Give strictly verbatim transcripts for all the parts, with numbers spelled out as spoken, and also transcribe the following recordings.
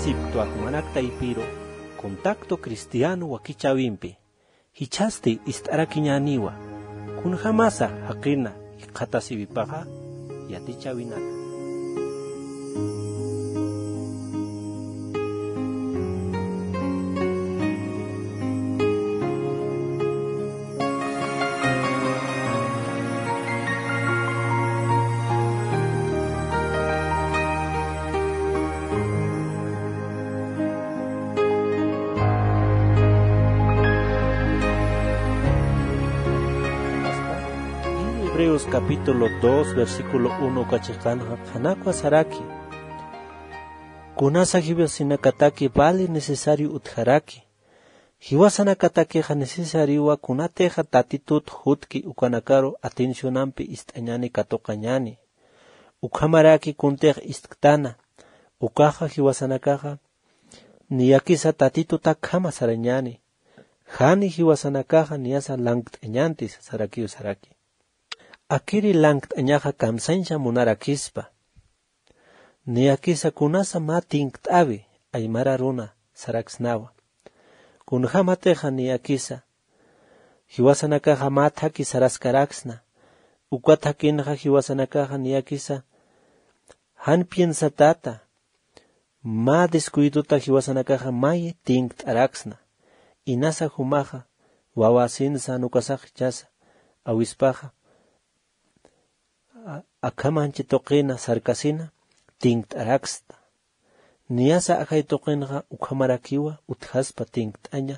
Sipktwa jumanak taypiru, contacto cristiano wakichäwimpi jichhasti ist'arakiñäniwa. Kunjämasa jaqina jikxatasiwipaxa yatichäwinaka. Hebreos capítulo dos, versículo uno uka chiqanxa qhanakwa saraki: Kunasa jiwasanakataki vale necesario utjaraki, jiwasanakatakixa necesariowa kunatixa Tatitut jutki ukanakaru atencionampi ist'añäni katuqañäni. Ukhamaraki kuntix ist'ktana, ukaxa jiwasanakaxa niyakisa Tatitutakhama sarañäni, jani jiwasanakaxa niyasa lankt'añänti sasarakiw saraki. Akiri lankt'añaxa kamsañsa munarakispa. Niyakisa kunasa mä tinkt'äwi aymara runa saraksnawa. Kunjämatixa niyakisa jiwasanakaxa mä thaki saraskaraksna, uka thakinxa jiwasanakaxa niyakisa jan piensatata, mä descuidota jiwasanakaxa may tinkt'araksna. Inasa jumaxa wawasinsa jan ukasax jichhasa awispaxa a-, akham anchi tuqina sarkasina tinkt'araksta. Niyasa ajay tuqinxa ukhamarakiwa utjaspa tinkt'aña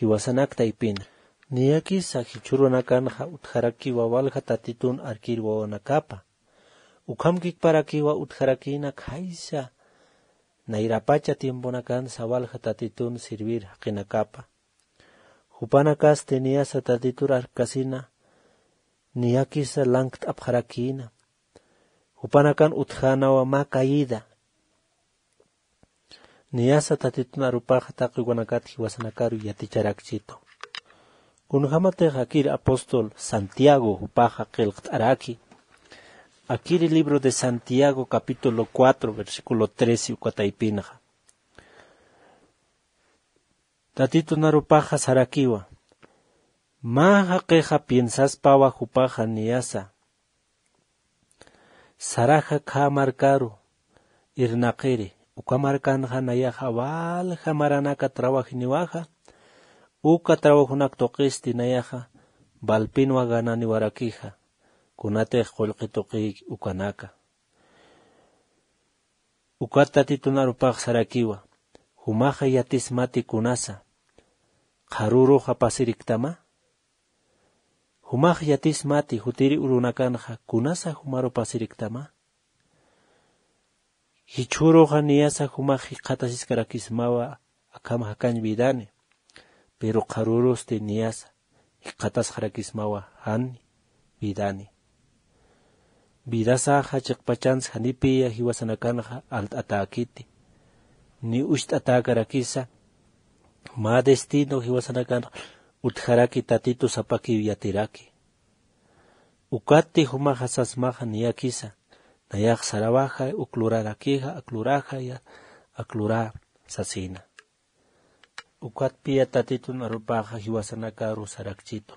jiwasanak taypina. Niyakisa jichhürunakanxa utjarakiwa walja Tatitun arkir wawanakapa. Ukham kikparakiwa utjarakïna khaysa nayrapacha tiemponakansa walja Tatitun servir jaqinakapa. Jupanakasti niyasa Tatitur arkkasina, niyakisa lankt'apxarakïna. Jupanakan utjänawa mä caída. Niyasa Tatitun arupaxa taqi ukanakat jiwasanakaru yaticharakchitu. Kunjämatix akir apóstol Santiago jupaxa qillqt'araki. Akiri libro de Santiago, capítulo cuatro, versículo trece, uka taypinxa. Tatitun arupaxa sarakiwa. Mä jaqixa piensaspawa jupaxa niyasa saraja khä markaru irnaqiri, uka markanxa nayaxa walja maranaka trabajiniwaxa, uka trabajonak tuqisti nayaxa valpinwa gananiwarakixa, kunatix qullqi tuqïki ukanaka. Ukat Tatitun arupax sarakiwa, jumaxa yatismati kunasa, qharüruxa pasiriktama? Jumax yatismati jutiri urunakanxa kunasa jumaru pasiriktama? Jichhüruxa niyasa jumax jikxatasiskarakismawa akham jakañ vidani, pero qharürusti niyasa jikxatasxarakismawa jan vidani. Vidasaxa chiqpachans janipiya jiwasanakanxa alt'atäkiti. Ni ucht'atäkarakisa mä destino jiwasanakanxa utjaraki Tatitu sapakiw yatiraki. Ukatti jumaxa sasmaxa niyakisa, nayax sarawajay uk lurarakixa, ak lurajaya, ak lurä sasina. Ukatpiya Tatitun arupaxa jiwasanakaru sarakchitu.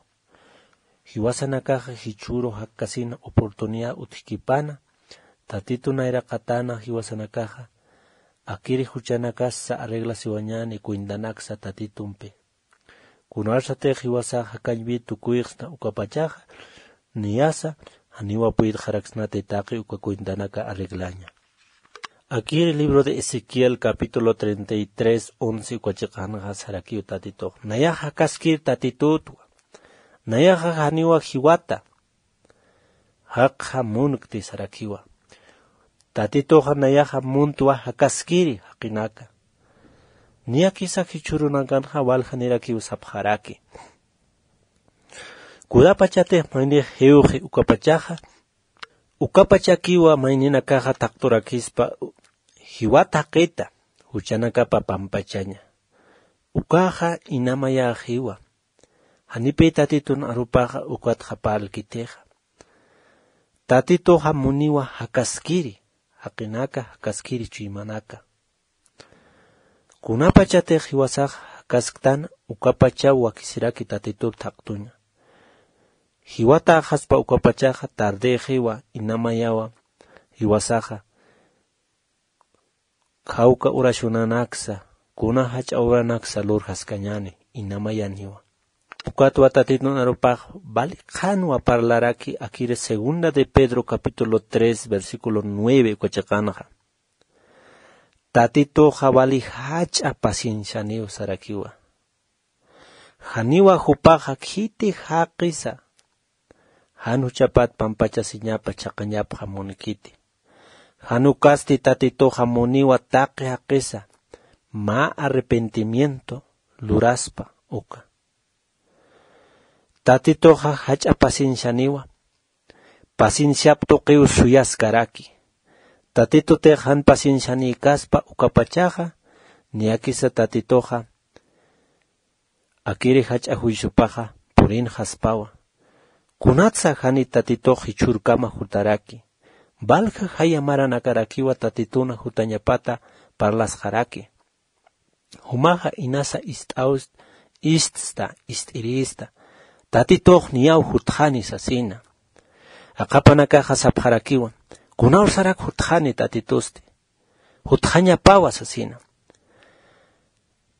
Jiwasanakaxa jichhüru jakkasina oportunidad utjkipana, Tatitun nayraqatäna jiwasanakaxa, akiri juchanakassa arreglasiwañäni cuentanaksa Tatitumpi. Kunasatix jiwasax jakañwi tukuyxsna ukapachaxa, niyasa janiwa puytxaraksnati taqi uka cuentanaka arreglaña. Akiri libro de Ezequiel capítulo treinta y tres, once uka chiqanxa sarakiw Tatitux. Nayax jakaskir Tatitutwa. Nayaxa janiwa jiwata. Jakxa munkti sarakiwa. Tatituxa nayaxa muntwa jakaskiri jaqinaka. Niyakisa jichhürunakanxa waljanirakiw sapxaraki. Kudapachatix maynix jiwxi ukapachaxa, ukapachakiwa mayninakaxa thaqturakispa jiwat jaqita, juchanakapa pampachaña. Ukaxa inamayäxiwa. Janipï Tatitun arupaxa ukatxa parlkitixa. Tatituxa muniwa jakaskiri, jaqinaka jakaskiri chuymanaka. Kunapachatix jiwasax jakasktan ukapachaw wakisiraki tatitur thaqtuña. Jiwataxaspa ukapachaxa tardexiwa inamayawa jiwasaxa khawka urashunanaksa kuna jach'a uranaksa lurjaskañani inamayaniwa. Ukatwa tatitun arupax vali qhanwa parlaraki akiri segunda de Pedro capítulo tres versículo nueve ukachiqanxa. Tatituxa vali jach'a paciencianiw sarakiwa. Janiwa jupaxa khiti jaqisa jan juchapat pampachasiñapa chhaqañapxa munkiti. Jan ukasti tatituxa muniwa taqi jaqisa mä arrepentimiento luraspa uka. Tatituxa jach'a paciencianiwa. Pacienciap tuqiw suyaskaraki. Tatitutix jan paciencianïkaspa ukapachaxa niyakisa tatituxa akiri jach'a juiciopaxa purinxaspawa. Kunatsa jani tatitux jichhürkama jutaraki valja jaya maranakarakiwa tatituna jutañapata parlasxaraki. Jumaxa inasa ist'awst iststa ist'irïsta tatitux niyaw jutxani sasina. Aqhapanakaxa sapxarakiwa kunawsarak jutxani tatitusti jutxañapawa sasina.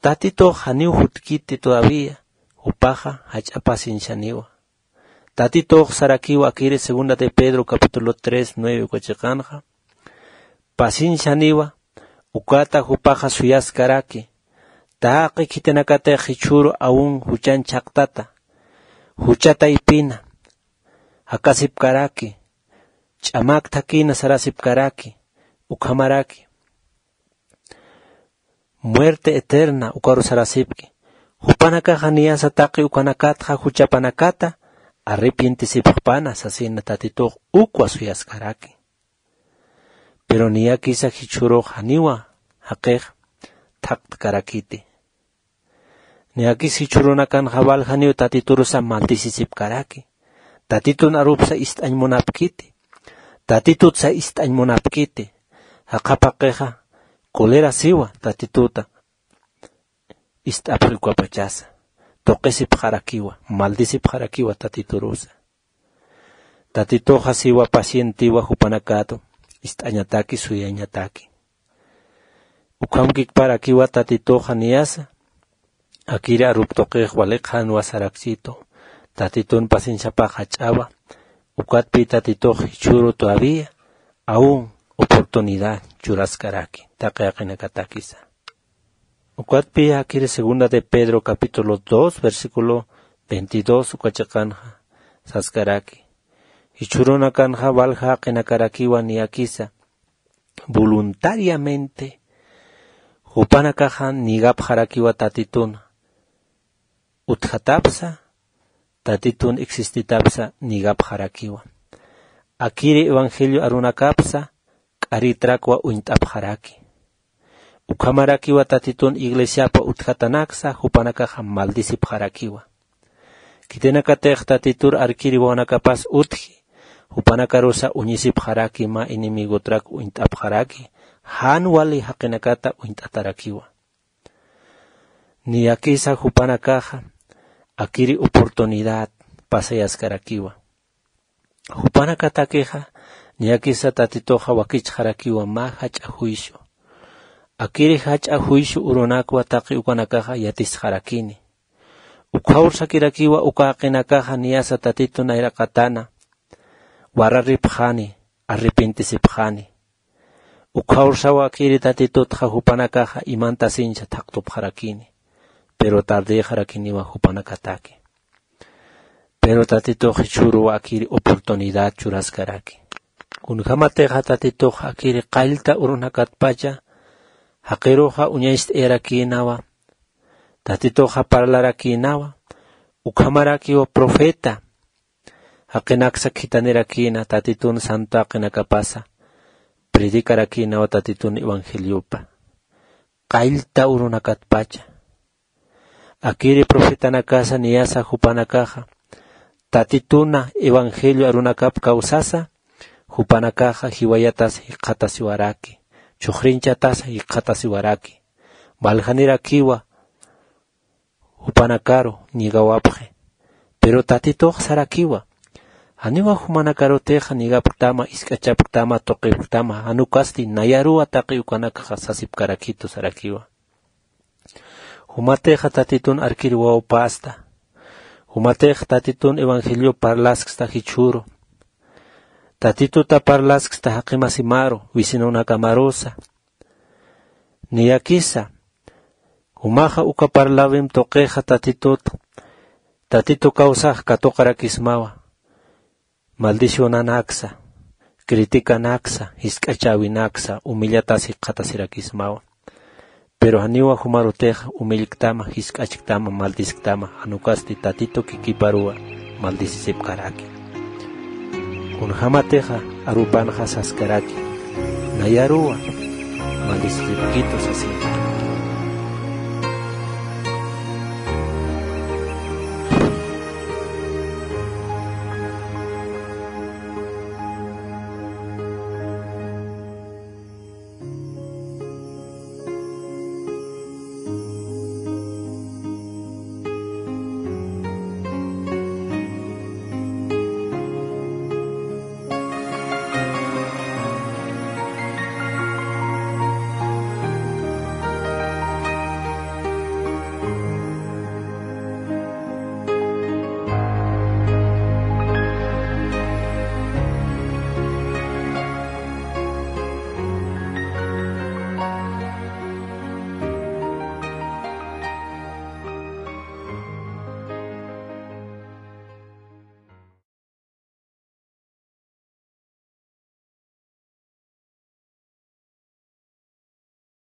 Tatitux janiw jutkiti todavía jupaxa jach'a paciencianiwa. Tatitux sarakiwa akiri segunda de Pedro capítulo tres nueve ukachiqanxa paciencianiwa. Ukata jupaxa suyaskaraki taqi khitinakatix jichhüru aun juchan chhaqtata jucha taypina jakasipkaraki ch'amak thakïna sarasipkaraki ukhamaraki muerte eterna ukaru sarasipki. Jupanakaxa niyasa taqi ukanakatxa juchapanakata arrepientisipxpana sasina tatitux ukwa suyaskaraki. Pero niyakisa jichhürux janiwa jaqix thaqtkarakiti. Niyakis jichhürunakanxa valjaniw tatiturusa maldisisipkaraki. Tatitun arupsa ist'añ munapkiti. Tatitutsa ist'añ munapkiti. Jaqhapaqixa colerasiwa tatituta ist'apxi ukapachasa tuqisipxarakiwa maldisipxarakiwa tatiturusa. Tatituxa siwa pacientiwa jupanakatu ist'añataki suyañataki. Ukhamkikparakiwa tatituxa niyasa akiri arup tuqix wali qhanwa saraksitu. Tatitun pacienciapax jach'awa. Ukatpi tatitux jichhüru todavía aun oportunidad churaskaraki taqi jaqinakatakisa. Ukatpi akiri segunda de Pedro capítulo dos versículo veintidós ukachiqanxa saskaraki jichhürunakanxa valja jaqinakarakiwa niyakisa voluntariamente jupanakaxa nigapxarakiwa tatituna utjatapsa tatitun existitapsa nigapxarakiwa. Akiri evangelio arunakapsa k'aritrakwa uñt'apxaraki. Ukhamarakiwa tatitun iglesiapa utjatanaksa jupanakaxa maldisipxarakiwa. Khitinakatix tatitur arkiri wawanakapas utji jupanakarusa uñisipxaraki mä enemigotrak uñt'apxaraki jan wali jaqinakata uñt'atarakiwa. Niyakisa jupanakaxa akiri oportunidad pasayaskarakiwa. Jupanakatakixa niyakisa tatituxa wakichxarakiwa mä jach'a juicio. Akiri jach'a juicio urunakwa taqi ukanakaxa yatisxarakini. Ukhaw sakirakiwa uka jaqinakaxa niyasa tatitu nayraqatana wararipxani arrepentisipxani. Ukhaw sawa akiri tatitutxa jupanakaxa imantasincha thaqtupxarakini. Pero tardexarakiniwa jupanakataki. Pero tatitux jichhüruwa akiri oportunidad churaskaraki. Kunjämatixa tatitux akiri qallta urunakatpacha jaqiruxa uñacht'ayarakïnawa. Tatituxa parlarakïnawa. Ukhamarakiwa profeta jaqinaksa khithanirakïna tatitun santo jaqinakapasa predikarakïnawa tatitun evangeliopa qallta urunakatpacha. Akiri profetanakasa niyasa jupanakaxa tatituna evangelio arunakap kawsasa jupanakaxa jiwayatasa jikxatasiwaraki. Chhuxrinchatasa jikxatasiwaraki. Waljanirakiwa jupanakaru ñigawapxi. Pero tatitux sarakiwa, janiwa jumanakarutixa ñigapktama, isk'achapktama, tuqipktama, jan ukasti nayaruwa taqi ukanakxa sasipkarakitu sarakiwa. Jumatixa tatitun arkir wawpästa. Jumatixa tatitun evangelio parlasksta jichhüru. Tatituta parlasksta jaqimasimaru, vecinonakamarusa. Niyakisa, jumaxa uka parlawim tuqixa tatitut, tatitu kawsax katuqarakismawa. Maldicionanaksa, criticanaksa, jisk'achäwinaksa, humillatas jikxatasirakismawa. Pero janiwa jumarutixa humillktama, jisk'achktama, maldisktama, jan ukasti tatitu kikiparuwa maldisisipkaraki. Kunjämatixa arupanxa saskaraki, nayaruwa maldisisipkitu sasina.